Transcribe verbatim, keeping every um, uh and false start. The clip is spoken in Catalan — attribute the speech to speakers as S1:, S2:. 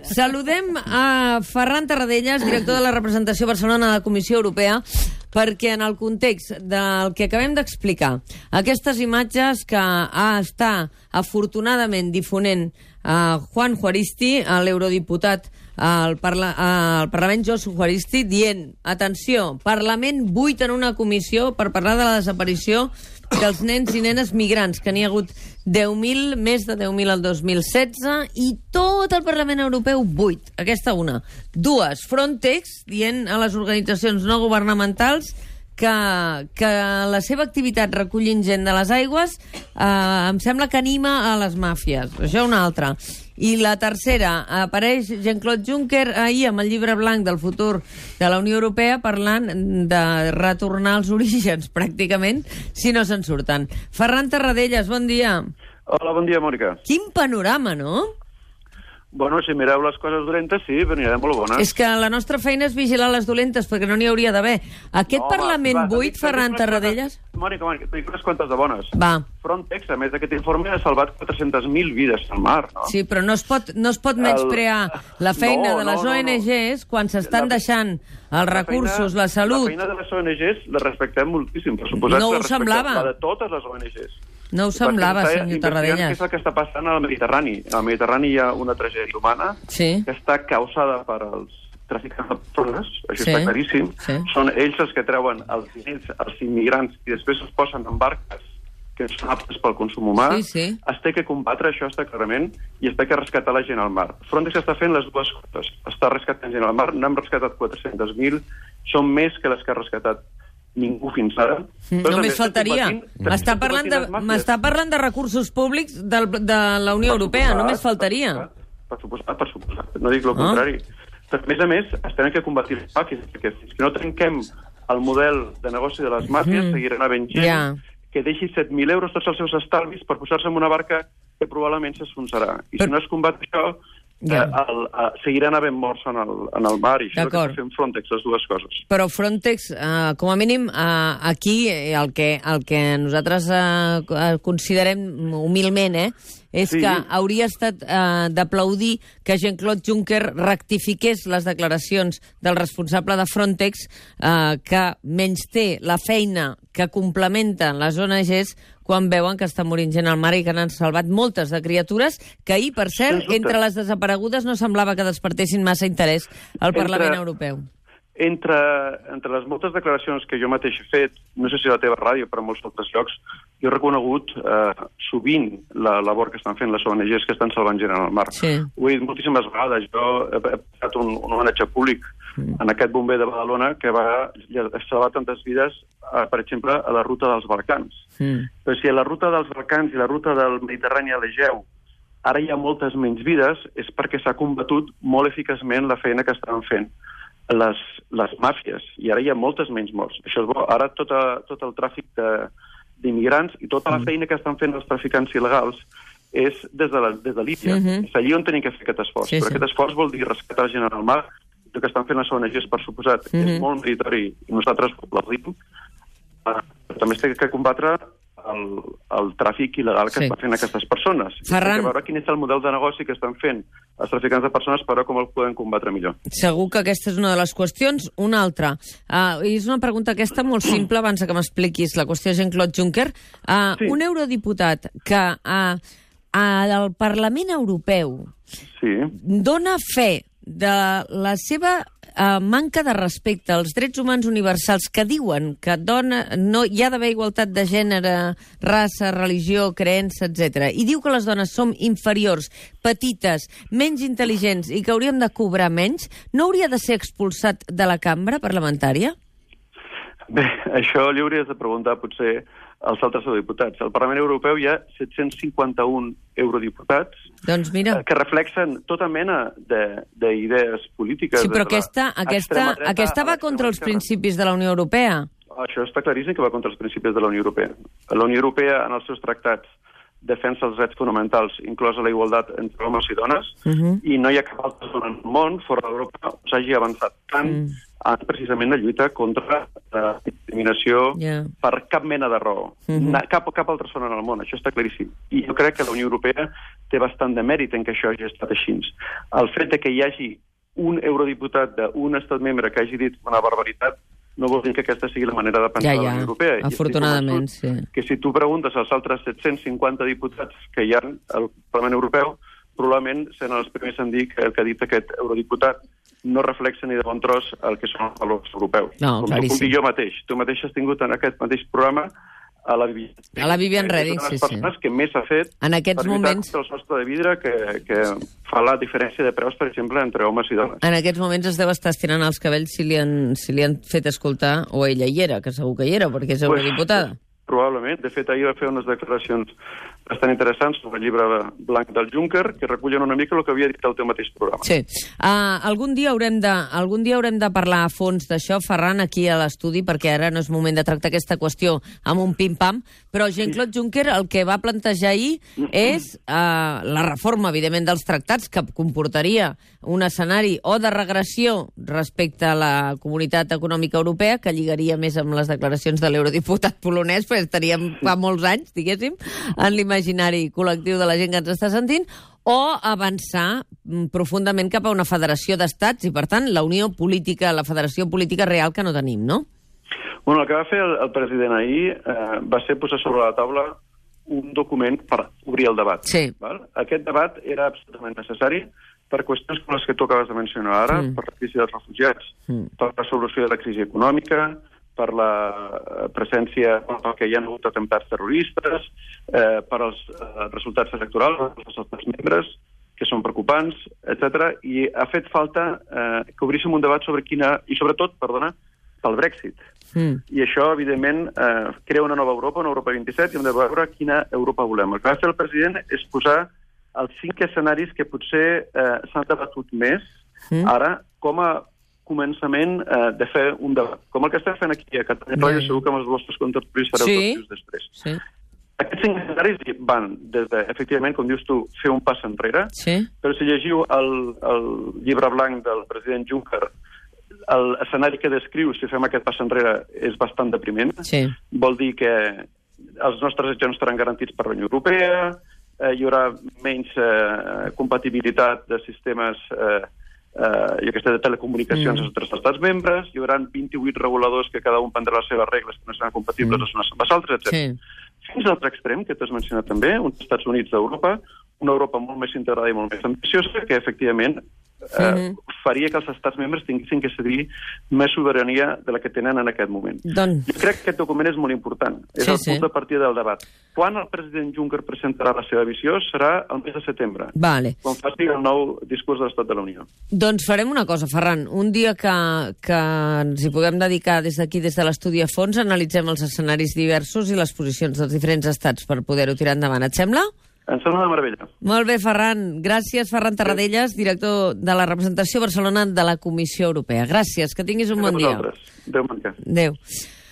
S1: Saludem a Ferran Tarradellas, director de la representació Barcelona de la Comissió Europea, perquè en el context del que acabem d'explicar, aquestes imatges que ha està afortunadament difonent uh, Juan Juaristi, l'eurodiputat al, parla al Parlament, Josu Juaristi, dient, atenció, Parlament buit en una comissió per parlar de la desaparició dels nens i nenes migrants, que n'hi ha hagut deu mil, més de deu mil al dos mil setze, i tot el Parlament Europeu buit. Aquesta una. Dues, Frontex, dient a les organitzacions no governamentals que, que la seva activitat recollint gent de les aigües eh, em sembla que anima a les màfies. Això una altra. I la tercera, apareix Jean-Claude Juncker ahir amb el llibre blanc del futur de la Unió Europea parlant de retornar als orígens, pràcticament, si no se'n surten. Ferran Tarradellas, bon dia.
S2: Hola, bon dia, Mònica.
S1: Quin panorama, no?
S2: Bueno, si mireu les coses dolentes, sí, però n'hi ha molt bones.
S1: És que la nostra feina és vigilar les dolentes, perquè no n'hi hauria d'haver. Aquest
S2: no,
S1: Parlament
S2: va,
S1: buit, Ferran Tarradellas?
S2: Mònica, Mònica, t'ho dic unes quantes de bones.
S1: Va.
S2: Frontex, a més d'aquest informe, ha salvat quatre-centes mil vides al mar, no?
S1: Sí, però no es pot, no es pot menysprear el... la feina
S2: no,
S1: de les
S2: no,
S1: O N Gs no. quan s'estan deixant els
S2: la
S1: recursos,
S2: feina,
S1: la salut.
S2: La feina de les O N Gs la respectem moltíssim, per suposat.
S1: No ho
S2: que
S1: semblava.
S2: La de totes les O N Gs.
S1: No ho semblava, senyor Tarradellas.
S2: Què és el que està passant al Mediterrani? Al Mediterrani hi ha una tragèdia humana
S1: sí.
S2: que està causada per els traficants de persones, això
S1: sí.
S2: està claríssim.
S1: Sí.
S2: Són ells els que treuen els diners, els immigrants, i després els posen en barques que són aptes pel consum humà.
S1: Sí, sí.
S2: Es té que combatre, això està clarament, i es té que rescatar la gent al mar. Frontex està fent les dues coses. Està rescatant gent al mar, n'hem rescatat quatre-cents mil, són més que les que ha rescatat ningú fins ara.
S1: Però només faltaria. M'està parlant, de, parlant de recursos públics de, de la Unió per Europea, suposat, només faltaria.
S2: Per suposat, per suposat. No dic el oh. contrari. Però, a més a més, es tenen que combatir les màfies, perquè fins que no trenquem el model de negoci de les màfies, mm. seguiran havent gent yeah. que deixi set mil euros tots els seus estalvis per posar-se en una barca que probablement s'esfonsarà. I Però... si no es combat això, Yeah. Eh, el, eh, seguiran havent morts en el, en el mar, i això que està fent Frontex, les dues coses.
S1: Però Frontex, eh, com a mínim, eh, aquí el que, el que nosaltres eh, considerem humilment, eh, és sí. que hauria estat eh, d'aplaudir que Jean-Claude Juncker rectifiqués les declaracions del responsable de Frontex, eh, que menysté la feina que complementen les O N Gs quan veuen que està morint gent al mar i que n'han salvat moltes de criatures que ahir, per cert, entre les desaparegudes no semblava que despertessin massa interès al entre, Parlament Europeu.
S2: Entre, entre les moltes declaracions que jo mateix he fet, no sé si a la teva ràdio, però en molts altres llocs, jo he reconegut eh, sovint la labor que estan fent les O N Gs que estan salvant gent al mar.
S1: Sí.
S2: Ho he dit moltíssimes vegades. Jo he passat un, un homenatge públic mm. en aquest bomber de Badalona que va salvar tantes vides, eh, per exemple, a la ruta dels Balcans. Mm. Però si a la ruta dels Balcans i la ruta del Mediterrani a l'Egeu ara hi ha moltes menys vides, és perquè s'ha combatut molt eficaçment la feina que estaven fent les, les màfies, i ara hi ha moltes menys morts. Això és bo. Ara tot, a, tot el tràfic d'immigrants i tota la feina que estan fent els traficants il·legals és des de, la, des de Líbia. Mm-hmm. És allí on tenim que fer aquest esforç. Sí, Però sí. aquest esforç vol dir rescatar gent al mar. El que estan fent les O N Gs, per suposat, mm-hmm. és molt meritori, i nosaltres ho aplaudim. Uh, també es té que combatre el, el tràfic il·legal que sí. estan fent aquestes persones.
S1: Ferran...
S2: I veure quin és el model de negoci que estan fent els traficants de persones per veure com el podem combatre millor.
S1: Segur que aquesta és una de les qüestions. Una altra. Uh, és una pregunta aquesta molt simple, abans que m'expliquis la qüestió de Jean-Claude Juncker. Uh, sí. Un eurodiputat que uh, al Parlament Europeu
S2: sí.
S1: dona fe de la seva uh, manca de respecte als drets humans universals, que diuen que dona, no, hi ha d'haver igualtat de gènere, raça, religió, creença, etcètera. I diu que les dones som inferiors, petites, menys intel·ligents i que hauríem de cobrar menys, no hauria de ser expulsat de la cambra parlamentària?
S2: Bé, això li hauries de preguntar potser als altres eurodiputats. Al Parlament Europeu hi ha set-cents cinquanta-un eurodiputats
S1: doncs mira.
S2: que reflexen tota mena d'idees polítiques.
S1: Sí, però aquesta, aquesta, aquesta va contra els principis de la Unió Europea.
S2: Això està claríssim que va contra els principis de la Unió Europea. La Unió Europea, en els seus tractats, defensa els drets fonamentals, inclosa la igualtat entre homes i dones, uh-huh. i no hi ha cap altra zona en el món, fora d'Europa, on s'hagi avançat tant uh-huh. en precisament la lluita contra la discriminació
S1: yeah.
S2: per cap mena de raó.
S1: Mm-hmm.
S2: Cap, cap altra zona en el món, això està claríssim. I jo crec que la Unió Europea té bastant de mèrit en que això hagi estat així. El fet de que hi hagi un eurodiputat d'un estat membre que hagi dit una barbaritat no vol dir que aquesta sigui la manera de pensar
S1: ja, ja.
S2: de la Unió Europea.
S1: Afortunadament, sí.
S2: Que si tu preguntes als altres set-cents cinquanta diputats que hi ha al Parlament Europeu, probablement seran els primers en dir que el que ha dit aquest eurodiputat no reflexa ni de bon tros el que són els valors europeus.
S1: No,
S2: com, com dic jo mateix. Tu mateix has tingut en aquest mateix programa a la Vivian.
S1: A la Vivian Reding, sí, sí.
S2: És una de les persones que més ha fet
S1: en aquests
S2: per
S1: moments...
S2: el sostre de vidre que, que fa la diferència de preus, per exemple, entre homes i dones.
S1: En aquests moments es deu estar estirant els cabells si li han, si li han fet escoltar, o ella hi era, que segur que hi era, perquè és eurodiputada.
S2: Pues, probablement. De fet, ahir va fer unes declaracions bastant interessants sobre el llibre blanc del Juncker, que recullen una mica el que havia dit el teu mateix programa.
S1: Sí. Uh, algun dia haurem de, algun dia haurem de parlar a fons d'això, Ferran, aquí a l'estudi, perquè ara no és moment de tractar aquesta qüestió amb un pim-pam, però Jean-Claude Juncker el que va plantejar ahir és uh, la reforma, evidentment, dels tractats, que comportaria un escenari o de regressió respecte a la Comunitat Econòmica Europea, que lligaria més amb les declaracions de l'eurodiputat polonès, perquè estaríem fa molts anys, diguéssim, en l'imaginari col·lectiu de la gent que ens està sentint, o avançar profundament cap a una federació d'estats i, per tant, la unió política, la federació política real que no tenim, no?
S2: Bueno, el que va fer el, el president ahir eh, va ser posar sobre la taula un document per obrir el debat.
S1: Sí.
S2: Val? Aquest debat era absolutament necessari per qüestions com les que tu acabes de mencionar ara, mm. per la crisi dels refugiats, mm. per la solució de la crisi econòmica, per la presència, pel que hi ha hagut atemptats terroristes, eh, per als eh, resultats electorals dels estats membres, que són preocupants, etcètera. I ha fet falta eh, que obríssim un debat sobre quina... I sobretot, perdona, pel Brexit. Mm. I això, evidentment, eh, crea una nova Europa, una Europa vint-i-set, i hem de veure quina Europa volem. El que va fer el president és posar els cinc escenaris que potser eh, s'han debatut més mm. ara com a començament eh, de fer un debat. Com el que estem fent aquí a Catalunya Ràdio, segur que amb els vostres contertulis fareu sí. tots després. Sí. Aquests cinc escenaris van des de, efectivament, com dius tu, fer un pas enrere, sí. però si llegiu el, el llibre blanc del president Juncker, l'escenari que descriu, si fem aquest pas enrere, és bastant depriment. Sí. Vol dir que els nostres drets no estaran garantits per la Unió Europea, eh, hi haurà menys eh, compatibilitat de sistemes eh, Uh, i aquesta de telecomunicacions mm. als estats membres, hi haurà vint-i-vuit reguladors que cada un prendrà les seves regles que no seran compatibles mm. les unes amb les altres, etcètera. Sí. Fins a l'altre extrem, que t'has mencionat també, uns Estats Units d'Europa, una Europa molt més integrada i molt més ambiciosa, que efectivament eh, mm. faria que els estats membres tinguessin que cedir més sobirania de la que tenen en aquest moment. Don... Jo crec que aquest document és molt important. És sí, el punt sí. de partida del debat. Quan el president Juncker presentarà la seva visió serà el mes de setembre, vale. quan faci el nou discurs de l'Estat de la Unió. Doncs farem una cosa, Ferran. Un dia que, que ens hi puguem dedicar des d'aquí, des de l'estudi a fons, analitzem els escenaris diversos i les posicions dels diferents estats per poder-ho tirar endavant. Et sembla? Em sembla una meravella. Molt bé, Ferran. Gràcies, Ferran Tarradellas, director de la representació a Barcelona de la Comissió Europea. Gràcies, que tinguis un bon dia. Adéu, Manca. Adéu.